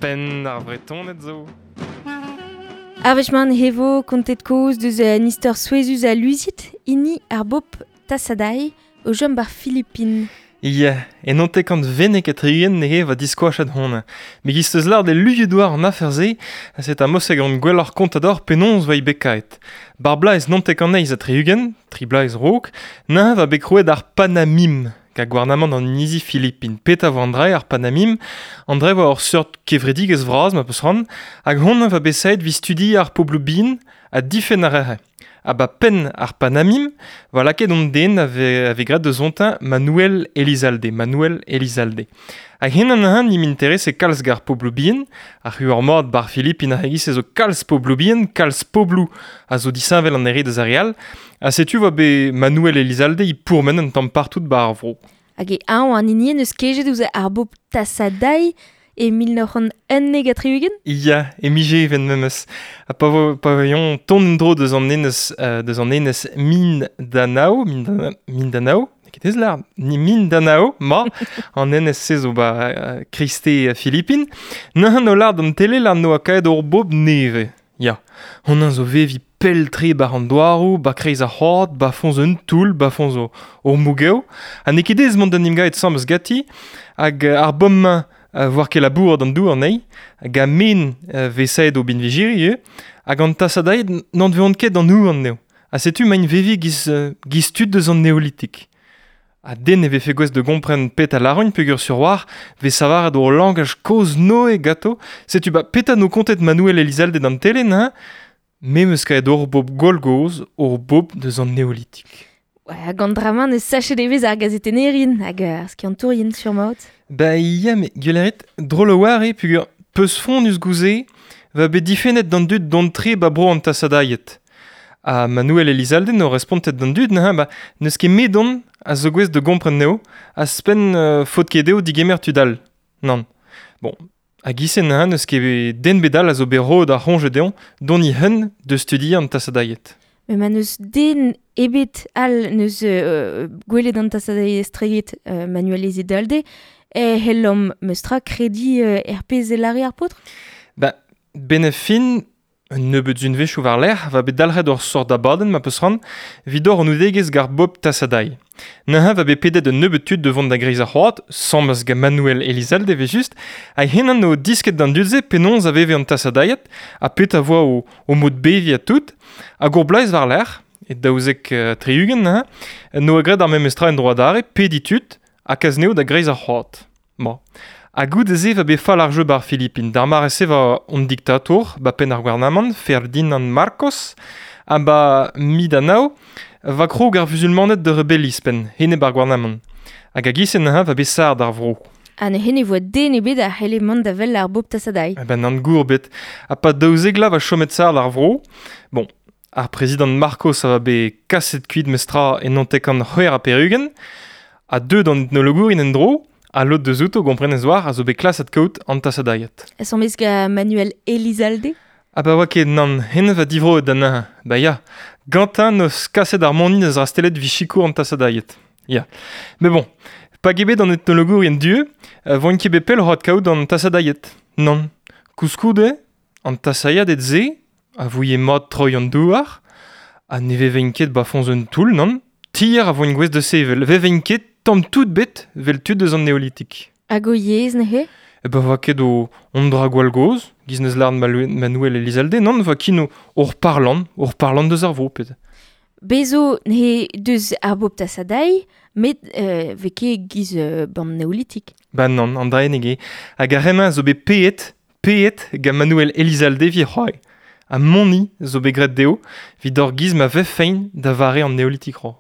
Penn ar Vretoned zo. Ar wech-mañ he vo kontet kaoz deus un istor souezhus ha luziet, hini ar bobl Tasaday o chom bar Filipin. Ya, en ontekant vennek ha 60 neuze va diskoachet hon. Me giz teus lâret e luioù douar an afer-se, set a moseg an gwelloc'h kontador penaos va bekaet. Bar blaez nontekant eizh ha 60, tri blaez raok, neuze va bet krouet ar Panamim, ga gouarnamant an inizi Filipin. Petra vo an dra ar Panamim? An dra vo ur seurt kevredigezh vras ma peus c'hoant, hag hon va bet saet 'vit studiañ ar pobloù bihan ha difenn ar re. Ha ba penn ar Panamim va lakaet hon den a vez graet deus ontañ Manuel Elizalde. Manuel Elizalde. Hag hen an han im interese kalz gar pobloù bihan, ar c'huor mat bar Filipin ar c'hegis zo kalz pobloù bihan, kalz pobloù a zo disheñvel an ere deus ar re all, ha setu va bet Manuel Elizalde i pourmen un tamm partout bar ar vro. Hag e añ an hini en eus kejet ouzh ar bobl Tasaday e 1971? Ya, e mije even memes. Ha pa vo pa voion ton en-dro deus an enez deus an enez Mindanao, Mindanao, ket ez lar, ni Mindanao, ma, an enez se zo ba Kriste Filipin, neuze no lar d'an tele lar noa kaet ur bobl neve. Ya, hon zo vevi pell-tre bar an douaroù, ba kreiz ar c'hoad, ba foñs un toull, ba foñs ur mougev. Ha n'eo ket aes mont d'an emgavet sammez ganti, hag ar bomm-mañ voar ket labourat an dour anezhi, hag a men vez saet o binvijiri ivez, hag an tasadaed n'en veont ket d'an houarn anezho. Ha setu maint vevi giz, giz tud deus an neolitik. Ha den ne vefe gouest da gompren pet a lâran peogwir sur war vez savaret ur langaj kozh-Noe ganto. Setu ba petra 'no kontet Manuel Elizalde d'an tele neuze? Me 'm eus kavet ur bobl gwall-gozh, ur bobl deus an neolitik. Hag an dra-mañ neus sachet evezh ar gazetennerien hag ar skiantourien sur-mat. Ba ya, met gwell a rit, drol a-walc'h eo peogwir peuzfonnus gouze va bet difennet d'an dud dont-tre ba bro an tasadailhed. Ha Manuel Elizalde 'no respontet d'an dud neuze ba n'eus ket medon a zo gouest da gompren anezho, a-spenn faot ket dezho digemer tud all. Nann. Bon, hag ise neuze n'eus ket den bet all a zo bet roet ar c'hoñje dezhañ dont e-hun da studiañ an tasadailhed. Met ma n'eus den ebet all n'eus gwelet an tasadailhed estreget Manuel Elizalde, e c'hellomp meus tra krediñ er pezh e lâre ar paotr? Ba, 'benn ar fin, Un nebeud unvezhioù war-lerc'h va bet dalc'het ur sort abadenn ma peus c'hoant evit ober anaoudegezh gant Bob Tassadai. Neuze va bet pedet un nebeud tud da vont da greiz ar c'hoad, sammez gant Manuel Elizalde evel-just, hag henan o disket d'an dud-se penaos a veve an Tassadaied ha petra voa o mod beviñ ha tout. Hag ur bloaz war-lerc'h, e 72 neuze, 'noa graet ar memes tra en-dro adarre, pediñ tud ha kas anezho da greiz ar c'hoad. Ma. Ha goude-se va bet fall ar jeu 'bar Filipin. D'ar mare-se 'va hon diktatour, 'ba penn ar gouarnamant, Ferdinand Marcos, ha 'ba Mindanao 'va krog ar vuzulmaned da rebelliñ 'spenn, enep ar gouarnamant. Hag a-giz-se neuze 'va bet sard ar vro. Ha neuze ne voa den ebet a c'helle mont da wel ar bobl Tasadai. Eh ben nann gour bet. Ha 'pad 12 vloaz 'va chomet sard ar vro. Bon, ar prezidant Marcos a va bet kaset kuit mestra e 1986, ha deuet an etnologourien en-dro, ha lod deus outo gomprenez war a zo bet klaset kaout an tasadailhed. Asambles gant Manuel Elizalde? Ha pa oa ket nann, hennezh va divroet da neuze. Ba ya, gantañ 'neus kaset ar moni deus rastellet 'vit sikour an tasadailhed. Ya. Mais bon, pa eo bet an etnologourien du, voint ket bet pell oc'h adkaout an tasadailhed. Nann. Koulskoude, An tasailhaded-se a vouie mat troiñ an douar ha ne vevent ket 'ba foñs un toull, nann. Tier a voent gouest da sevel. Vevent ket tamm tout bet 'vel tud eus an neolitik. Hag o yezh neuze? E ba 'oa ket o hon dra gwall gozh, 'giz 'neus lâret Manuel Elizalde, nann, 'oa kin hor parlant, hor parlant deus ar vro, pet. Bez zo n'he deus ar bobl Tasadai, met 'vez ket 'giz ban neolitik. Ba nann, an draeneg eo. Hag ar re-mañ a zo bet paeet Paeet gant Manuel Elizalde evit c'hoari ha moni zo bet graet dezho evit ur giz ma vefent da vare an neolitik-roh.